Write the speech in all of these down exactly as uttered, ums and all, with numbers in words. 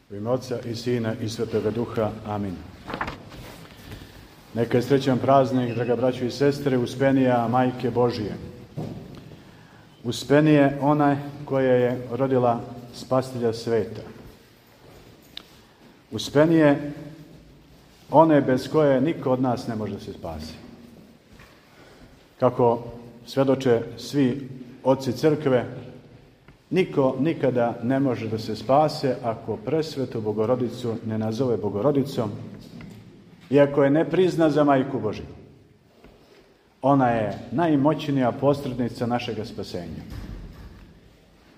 U ime Otca i Sina i Svetoga Duha. Amin. Neka je srećan praznik, draga braćo i sestre, Uspenija Majke Božije. Uspenije ona koja je rodila Spasitelja sveta. Uspenije one bez koje niko od nas ne može da se spasi. Kako svedoče svi oci crkve, niko nikada ne može da se spase ako presvetu Bogorodicu ne nazove Bogorodicom i ako je ne prizna za Majku Božju. Ona je najmoćnija posrednica našega spasenja.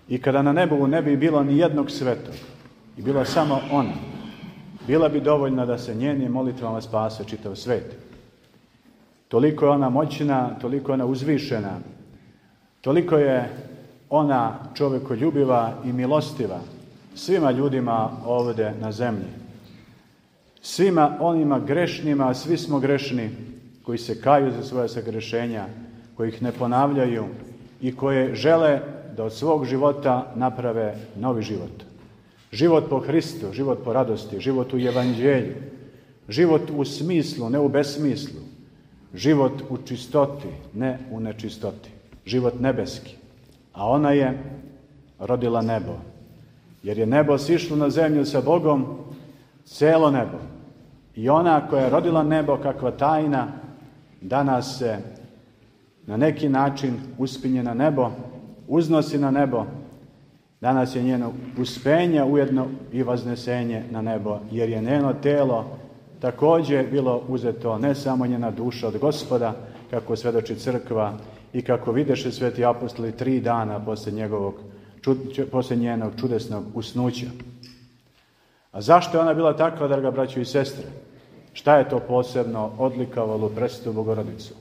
I kada na nebu ne bi bilo ni jednog svetog i bila samo ona, bila bi dovoljna da se njenim molitvama spase čitav svet. Toliko je ona moćna, toliko je ona uzvišena, toliko je ona čovekoljubiva i milostiva svima ljudima ovdje na zemlji. Svima onima grešnima, a svi smo grešni, koji se kaju za svoje sagrešenja, koji ih ne ponavljaju i koje žele da od svog života naprave novi život. Život po Hristu, život po radosti, život u Evanđelju, život u smislu, ne u besmislu, život u čistoti, ne u nečistoti, život nebeski. A ona je rodila nebo, jer je nebo sišlo na zemlju sa Bogom, celo nebo. I ona koja je rodila nebo, kakva tajna, danas se na neki način uspinje na nebo, uznosi na nebo. Danas je njeno uspenje ujedno i vaznesenje na nebo, jer je njeno telo također bilo uzeto, ne samo njena duša od Gospoda, kako svedoči crkva i kako videše sveti apostoli tri dana posle, njegovog, posle njenog čudesnog usnuća. A zašto je ona bila takva, draga braćo i sestre? Šta je to posebno odlikovalo presvetu Bogorodicu?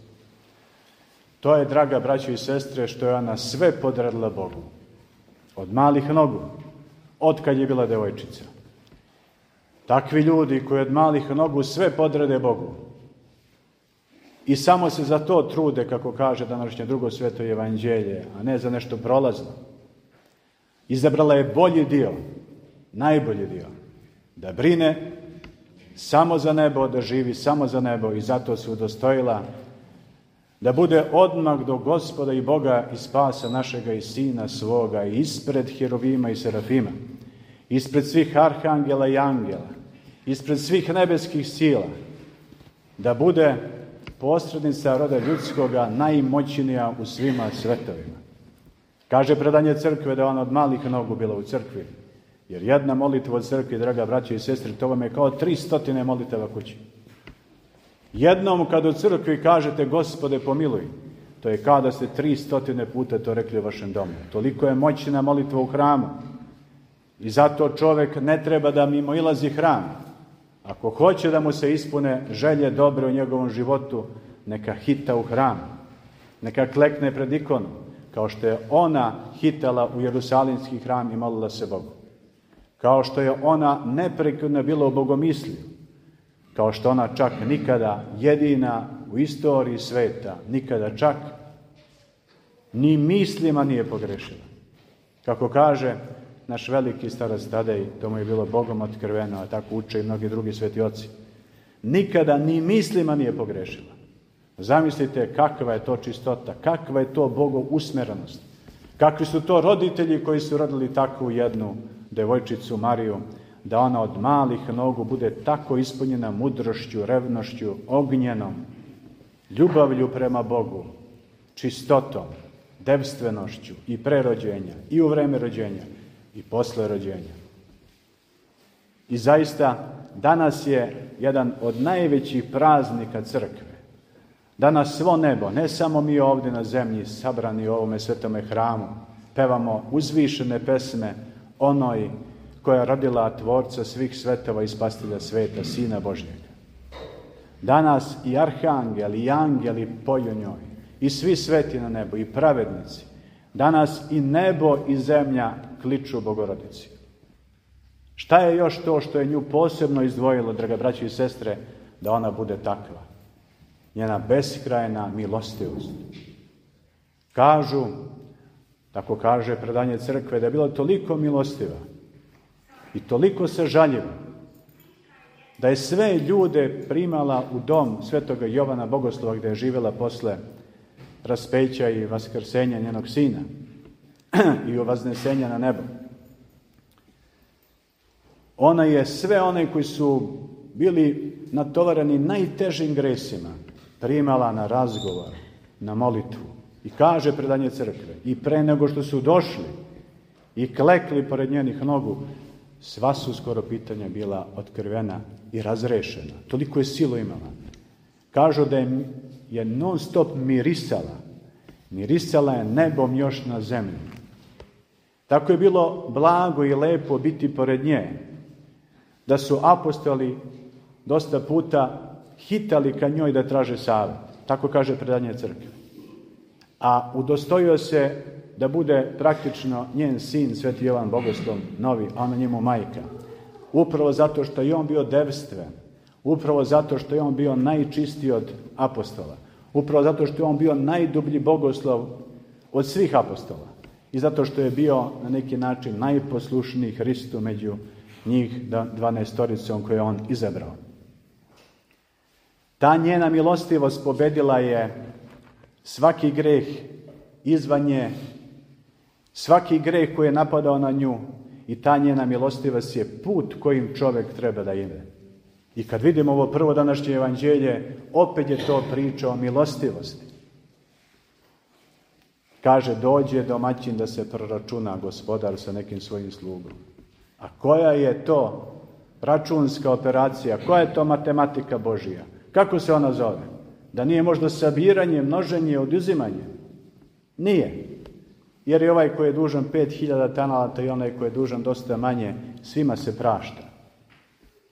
To je, draga braćo i sestre, što je ona sve podredila Bogu. Od malih nogu, od kad je bila devojčica. Takvi ljudi koji od malih nogu sve podrede Bogu i samo se za to trude, kako kaže današnje drugo sveto evanđelje, a ne za nešto prolazno. Izabrala je bolji dio, najbolji dio, da brine samo za nebo, da živi samo za nebo, i zato se udostojila da bude odmah do Gospoda i Boga i spasa našega i Sina svoga, i ispred Herovima i Serafima, ispred svih arhangela i angela, ispred svih nebeskih sila, da bude posrednica roda ljudskoga, najmoćnija u svima svetovima. Kaže predanje crkve da ona od malih nogu bila u crkvi, jer jedna molitva od crkvi, draga braće i sestre, to vam je kao tri stotine molitava kući. Jednom kad u crkvi kažete Gospode pomiluj, to je kao da ste tri stotine puta to rekli u vašem domu. Toliko je moćna molitva u hramu. I zato čovjek ne treba da mimoilazi hram. Ako hoće da mu se ispune želje dobre u njegovom životu, neka hita u hram, neka klekne pred ikonu, kao što je ona hitala u Jerusalimski hram i molila se Bogu. Kao što je ona neprekidno bila u bogomisliju, kao što ona čak nikada jedina u istoriji sveta, nikada čak ni mislima nije pogrešila. Kako kaže naš veliki starac Tadej, to mu je bilo Bogom otkriveno, a tako uče i mnogi drugi sveti oci. Nikada ni mislima nije pogrešila. Zamislite kakva je to čistota, kakva je to Bogov usmjerenost. Kakvi su to roditelji koji su rodili takvu jednu devojčicu Mariju, da ona od malih nogu bude tako ispunjena mudrošću, revnošću, ognjenom, ljubavlju prema Bogu, čistotom, devstvenošću i pre rođenja, i u vreme rođenja, i posle rođenja. I zaista, danas je jedan od najvećih praznika crkve. Danas svo nebo, ne samo mi ovdje na zemlji, sabrani u ovome svetome hramu, pevamo uzvišene pesme onoj koja je rodila Tvorca svih svetova i Spasitelja sveta, Sina Božjega. Danas i arhangeli i angeli poju njoj, i svi sveti na nebu, i pravednici. Danas i nebo i zemlja kliču Bogorodici. Šta je još to što je nju posebno izdvojilo, draga braći i sestre, da ona bude takva? Njena beskrajna milostivost. Kažu, tako kaže predanje crkve, da je bila toliko milostiva, i toliko sažaljiva da je sve ljude primala u dom svetoga Jovana Bogoslova gdje je živjela posle raspeća i vaskrsenja njenog sina i vaznesenja na nebo. Ona je sve one koji su bili natovareni najtežim gresima primala na razgovor, na molitvu. I kaže predanje crkve, i pre nego što su došli i klekli pored njenih nogu, sva su skoro pitanja bila otkrivena i razrešena. Toliko je silu imala. Kažu da je, je non stop mirisala. Mirisala je nebom još na zemlji. Tako je bilo blago i lepo biti pored nje, da su apostoli dosta puta hitali ka njoj da traže savjet. Tako kaže predanje crkve. A udostojio se da bude praktično njen sin, sveti Jovan Bogoslov, novi, a ona njemu majka. Upravo zato što je on bio devstven, upravo zato što je on bio najčistiji od apostola, upravo zato što je on bio najdublji bogoslov od svih apostola i zato što je bio na neki način najposlušniji Hristu među njih dvanaestoricom koje je on izabrao. Ta njena milostivost pobedila je svaki greh izvan nje, svaki greh koji je napadao na nju, i ta njena milostivost je put kojim čovjek treba da ide. I kad vidimo ovo prvo današnje evanđelje, opet je to priča o milostivosti. Kaže, dođe domaćin da se proračuna gospodar sa nekim svojim slugom. A koja je to računska operacija, koja je to matematika Božija? Kako se ona zove? Da nije možda sabiranje, množenje, oduzimanje? Nije. Jer je ovaj koji je dužan pet hiljada talenta i onaj koji je dužan dosta manje, svima se prašta.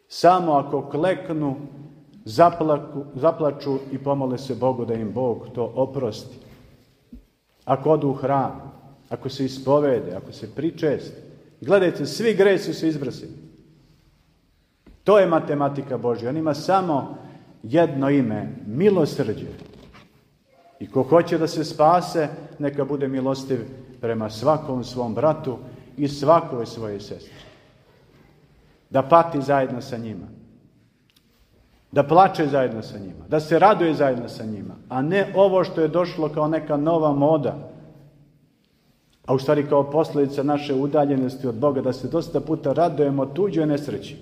Samo ako kleknu, zaplaku, zaplaču i pomole se Bogu da im Bog to oprosti. Ako odu u hram, ako se ispovede, ako se pričeste. Gledajte, svi gresi su izbrisani. To je matematika Božja. On ima samo jedno ime, milosrđe. I ko hoće da se spase, neka bude milostiv prema svakom svom bratu i svakoj svojoj sestri. Da pati zajedno sa njima. Da plače zajedno sa njima. Da se raduje zajedno sa njima. A ne ovo što je došlo kao neka nova moda. A u stvari kao posljedica naše udaljenosti od Boga, da se dosta puta radujemo tuđoj nesreći.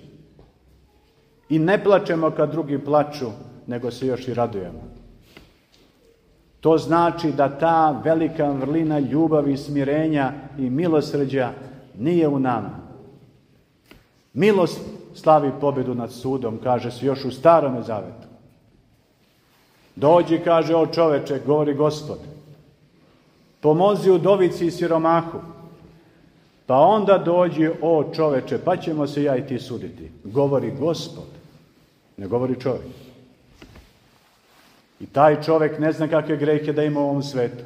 I ne plačemo kad drugi plaču, nego se još i radujemo. To znači da ta velika vrlina ljubavi, smirenja i milosrđa nije u nama. Milost slavi pobjedu nad sudom, kaže se još u Starome Zavetu. Dođi, kaže, o čoveče, govori Gospod, pomozi udovici i siromahu. Pa onda dođi, o čoveče, pa ćemo se ja i ti suditi. Govori Gospod, ne govori čovjek. I taj čovjek ne zna kakve grehe da ima u ovom svetu.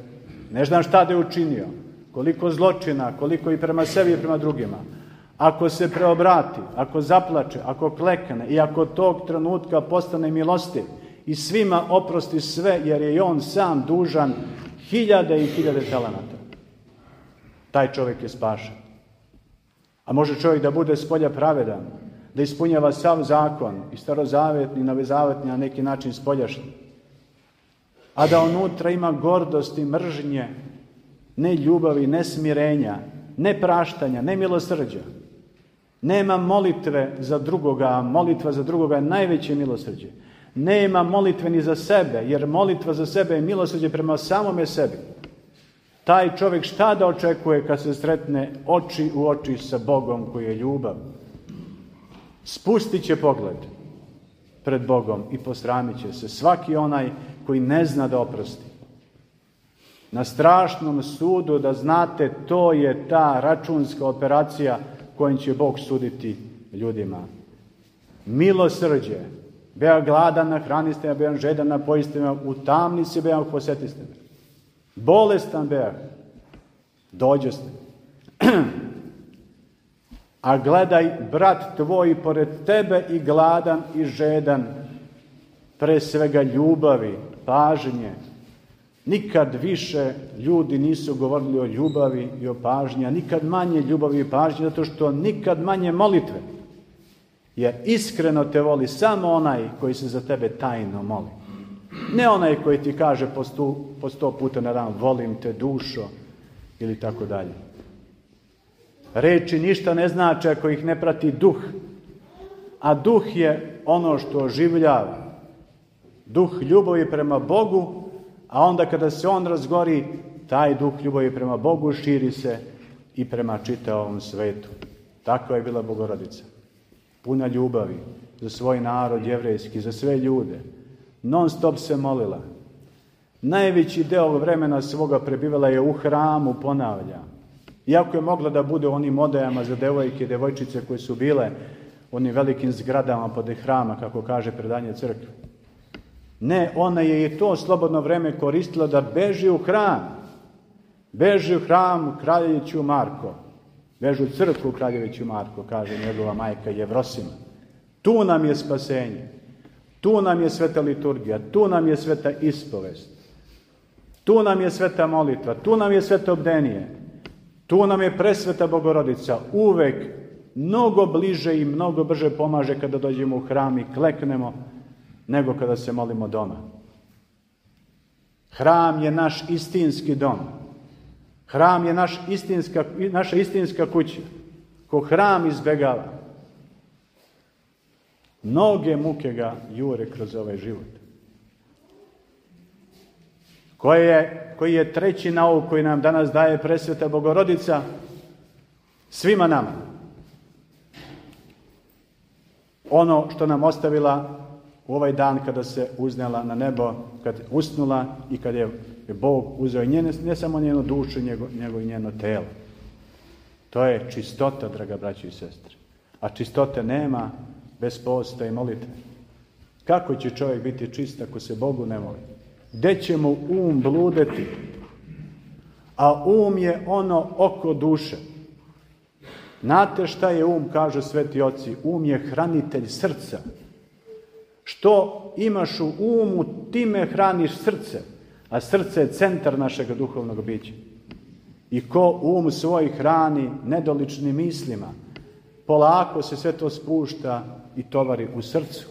Ne zna šta da je učinio, koliko zločina, koliko i prema sebi i prema drugima. Ako se preobrati, ako zaplače, ako klekne i ako tog trenutka postane milostiv i svima oprosti sve, jer je i on sam dužan hiljade i hiljade talenata, taj čovjek je spašen. A može čovjek da bude spolja pravedan, da ispunjava sav zakon, i starozavetni, novozavetni, na neki način spoljašnji, a da unutra ima gordosti, mržnje, ne ljubavi, ne smirenja, ne praštanja, ne milosrđa. Nema molitve za drugoga, a molitva za drugoga je najveće milosrđe. Nema molitve ni za sebe, jer molitva za sebe je milosrđe prema samome sebi. Taj čovjek šta da očekuje kad se sretne oči u oči sa Bogom koji je ljubav? Spustit će pogled pred Bogom i posramit će se svaki onaj koji ne zna da oprosti. Na strašnom sudu, da znate, to je ta računska operacija kojim će Bog suditi ljudima. Milosrđe. Bea gladan, nahraniste me, bea žedan, napojiste me, u tamnici bea posjetiste me. Bolestan bea, dođoste. A gledaj, brat tvoj pored tebe i gladan i žedan, pre svega ljubavi, pažnje, Nikad više ljudi nisu govorili o ljubavi i o pažnji, a nikad manje ljubavi i pažnje, zato što nikad manje molitve. Jer iskreno te voli samo onaj koji se za tebe tajno moli. Ne onaj koji ti kaže po sto, po sto puta na dan, volim te dušo, ili tako dalje. Reči ništa ne znače ako ih ne prati duh. A duh je ono što oživljava. Duh ljubavi prema Bogu, a onda kada se on razgori, taj duh ljubavi prema Bogu širi se i prema čitavom svetu. Takva je bila Bogorodica. Puna ljubavi za svoj narod jevrejski, za sve ljude. Non stop se molila. Najveći deo vremena svoga prebivala je u hramu, ponavlja. Iako je mogla da bude u onim odajama za devojke i devojčice koje su bile u onim velikim zgradama pod hrama, kako kaže predanje crkve. Ne, ona je i to slobodno vreme koristila da beži u hram. Beži u hram Kraljeviću Marko. Beži u crkvu Kraljeviću Marko, kaže njegova majka Jevrosima. Tu nam je spasenje. Tu nam je sveta liturgija. Tu nam je sveta ispovest. Tu nam je sveta molitva. Tu nam je sveto bdenije. Tu nam je presveta Bogorodica. Uvek mnogo bliže i mnogo brže pomaže kada dođemo u hram i kleknemo, nego kada se molimo doma. Hram je naš istinski dom. Hram je naš istinska, naša istinska kuća. Ko hram izbegava, mnoge muke ga jure kroz ovaj život. Koji je, koji je treći nauk koji nam danas daje presveta Bogorodica svima nama. Ono što nam ostavila u ovaj dan kada se uznela na nebo, kad usnula i kad je Bog uzeo njene, ne samo njenu dušu, nego, nego i njeno telo. To je čistota, draga braći i sestre. A čistote nema bez posta i molitve. Kako će čovjek biti čist ako se Bogu ne moli? Gde će mu um bludeti? A um je ono oko duše. Znate šta je um, kažu sveti oci? Um je hranitelj srca. Što imaš u umu, time hraniš srce. A srce je centar našeg duhovnog bića. I ko um svoj hrani nedoličnim mislima, polako se sve to spušta i tovari u srcu.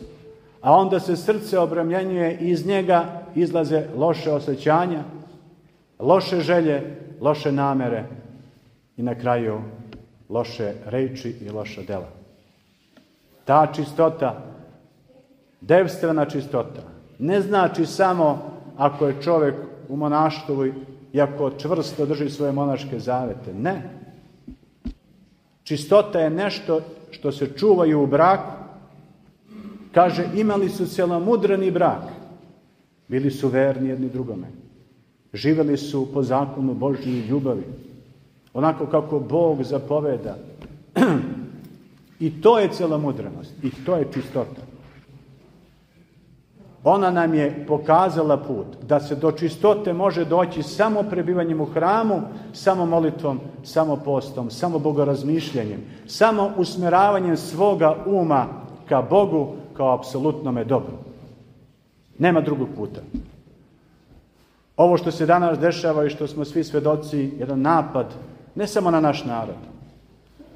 A onda se srce obremljenjuje i iz njega izlaze loše osjećanja, loše želje, loše namere i na kraju loše reči i loša dela. Ta čistota, devstvena čistota, ne znači samo ako je čovjek u monaštvu i ako čvrsto drži svoje monaške zavete. Ne. Čistota je nešto što se čuvaju u braku. Kaže, imali su cjelomudrani brak. Bili su verni jedni drugome. Živjeli su po zakonu Božje ljubavi. Onako kako Bog zapoveda. I to je cjelomudranost. I to je čistota. Ona nam je pokazala put da se do čistote može doći samo prebivanjem u hramu, samo molitvom, samo postom, samo bogorazmišljanjem, samo usmjeravanjem svoga uma ka Bogu kao apsolutnome dobru. Nema drugog puta. Ovo što se danas dešava i što smo svi svedoci, jedan napad, ne samo na naš narod.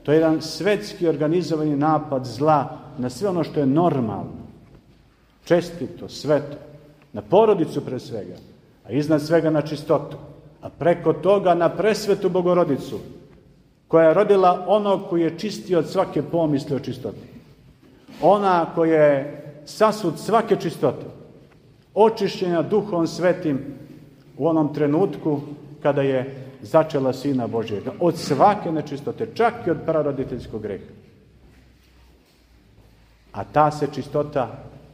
To je jedan svetski organizovani napad zla na sve ono što je normalno. Čestito, sveto, na porodicu pre svega, a iznad svega na čistotu, a preko toga na presvetu Bogorodicu, koja je rodila onog koji je čistio od svake pomisli o čistoti. Ona koja je sasud svake čistote, očišćena Duhom Svetim u onom trenutku kada je začela Sina Božjega, od svake nečistote, čak i od praroditeljskog greha. A ta se čistota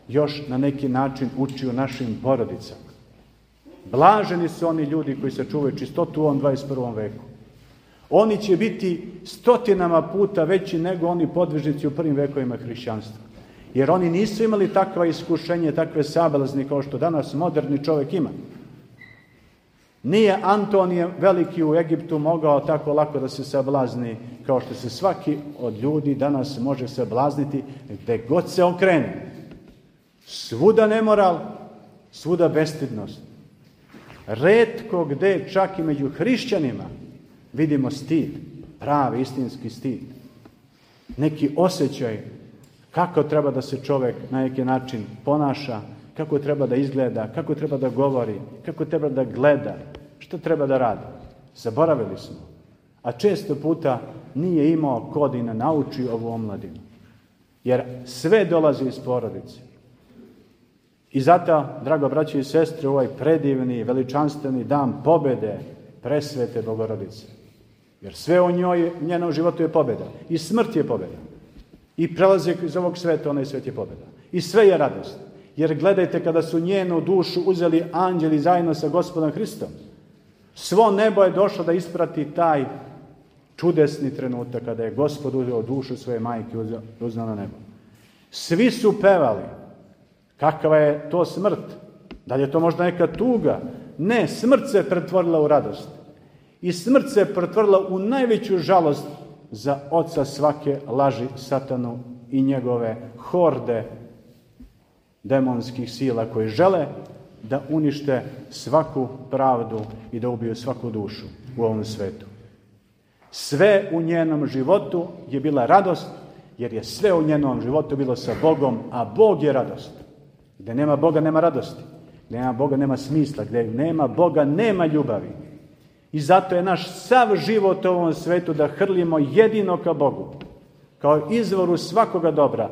još na neki način uči u našim porodicama. Blaženi su oni ljudi koji sačuvaju čistotu u ovom dvadeset prvom veku. Oni će biti stotinama puta veći nego oni podvižnici u prvim vekovima hrišćanstva. Jer oni nisu imali takva iskušenje, takve sablazni kao što danas moderni čovjek ima. Nije Antonije Veliki u Egiptu mogao tako lako da se sablazni kao što se svaki od ljudi danas može sablazniti gde god se okrene. Svuda nemoral, svuda bestidnost. Retko gde, čak i među hrišćanima, vidimo stid, pravi, istinski stid. Neki osjećaj kako treba da se čovjek na neki način ponaša, kako treba da izgleda, kako treba da govori, kako treba da gleda, što treba da radi. Zaboravili smo. A često puta nije imao ko da i ne nauči ovu omladinu. Jer sve dolazi iz porodice. I zato, drago braći i sestre, ovaj predivni, veličanstveni dan pobede presvete Bogorodice. Jer sve u njoj, u njenom životu je pobeda. I smrt je pobeda. I prelazak iz ovog sveta, onaj svet je pobeda. I sve je radost. Jer gledajte, kada su njenu dušu uzeli anđeli zajedno sa Gospodom Hristom, svo nebo je došlo da isprati taj čudesni trenutak kada je Gospod uzeo dušu svoje majke i uzeo na nebo. Svi su pevali. Kakva je to smrt? Da li je to možda neka tuga? Ne, smrt se pretvorila u radost. I smrt se pretvorila u najveću žalost za oca svake laži, satanu i njegove horde demonskih sila koji žele da unište svaku pravdu i da ubiju svaku dušu u ovom svetu. Sve u njenom životu je bila radost, jer je sve u njenom životu bilo sa Bogom, a Bog je radost. Gde nema Boga, nema radosti. Gde nema Boga, nema smisla. Gde nema Boga, nema ljubavi. I zato je naš sav život u ovom svetu da hrlimo jedino ka Bogu, kao izvoru svakoga dobra,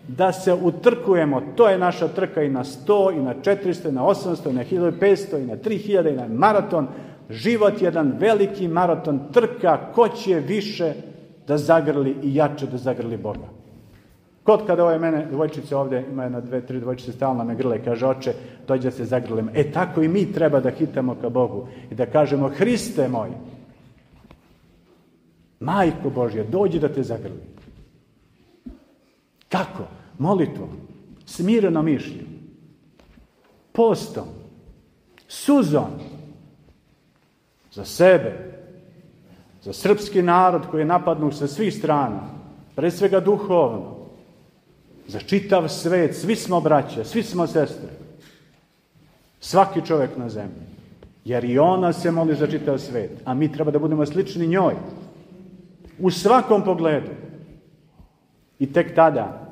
da se utrkujemo. To je naša trka i na sto, i na četiristo, i na osamsto, i na hiljadu petsto, i na tri hiljade, i na maraton. Život je jedan veliki maraton, trka ko će više da zagrli i jače da zagrli Boga. Kod kada ove mene dvojčice ovdje, ima jedna, dve, tri dvojčice, stalno me grle i kaže, oče, dođe da se zagrlimo. E tako i mi treba da hitamo ka Bogu i da kažemo, Hriste moj, Majko Božja, dođi da te zagrli. Kako? Molitvom, smireno mišlju, postom, suzom, za sebe, za srpski narod koji je napadnut sa svih strana, pre svega duhovno, za čitav svet, svi smo braća, svi smo sestre, svaki čovjek na zemlji, jer i ona se moli za čitav svet, a mi treba da budemo slični njoj, u svakom pogledu. I tek tada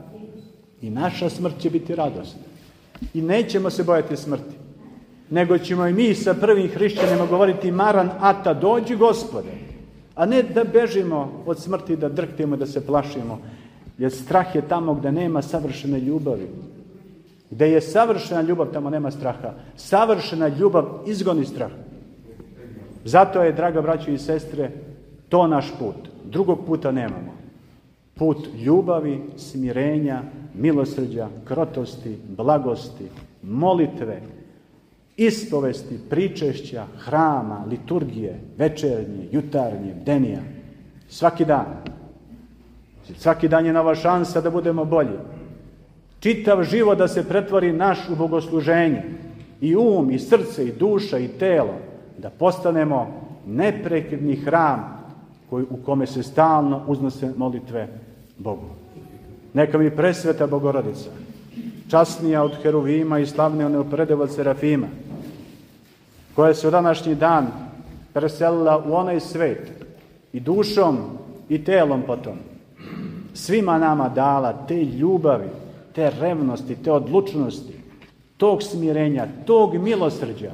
i naša smrt će biti radost. I nećemo se bojati smrti, nego ćemo i mi sa prvim hrišćanima govoriti Maran Ata, dođi Gospode, a ne da bežimo od smrti, da drhtimo, da se plašimo, jer strah je tamo gde nema savršene ljubavi. Gde je savršena ljubav, tamo nema straha. Savršena ljubav izgoni strah. Zato je, draga braćo i sestre, to naš put. Drugog puta nemamo. Put ljubavi, smirenja, milosrđa, krotosti, blagosti, molitve, ispovesti, pričešća, hrama, liturgije, večernje, jutarnje, bdenija. Svaki dan. Svaki dan je nova šansa da budemo bolji. Čitav život da se pretvori naš u bogosluženje. I um, i srce, i duša, i telo. Da postanemo neprekidni hram koji, u kome se stalno uznose molitve Bogu. Neka mi presveta Bogorodica, časnija od heruvima i slavnija neuporedivo od serafima, koja se u današnji dan preselila u onaj svet i dušom i telom potom, svima nama dala te ljubavi, te revnosti, te odlučnosti, tog smirenja, tog milosrđa,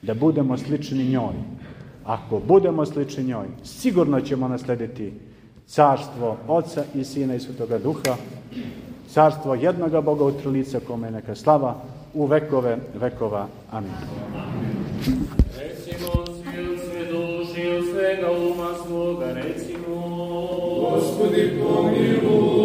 da budemo slični njoj. Ako budemo slični njoj, sigurno ćemo naslediti carstvo Oca i Sina i Svetoga Duha, carstvo jednoga Boga u Trolica, kome je neka slava u vekove vekova. Amin. Recimo svi od sve duši, od svega uma svoga, recimo, Gospodi pomiluj.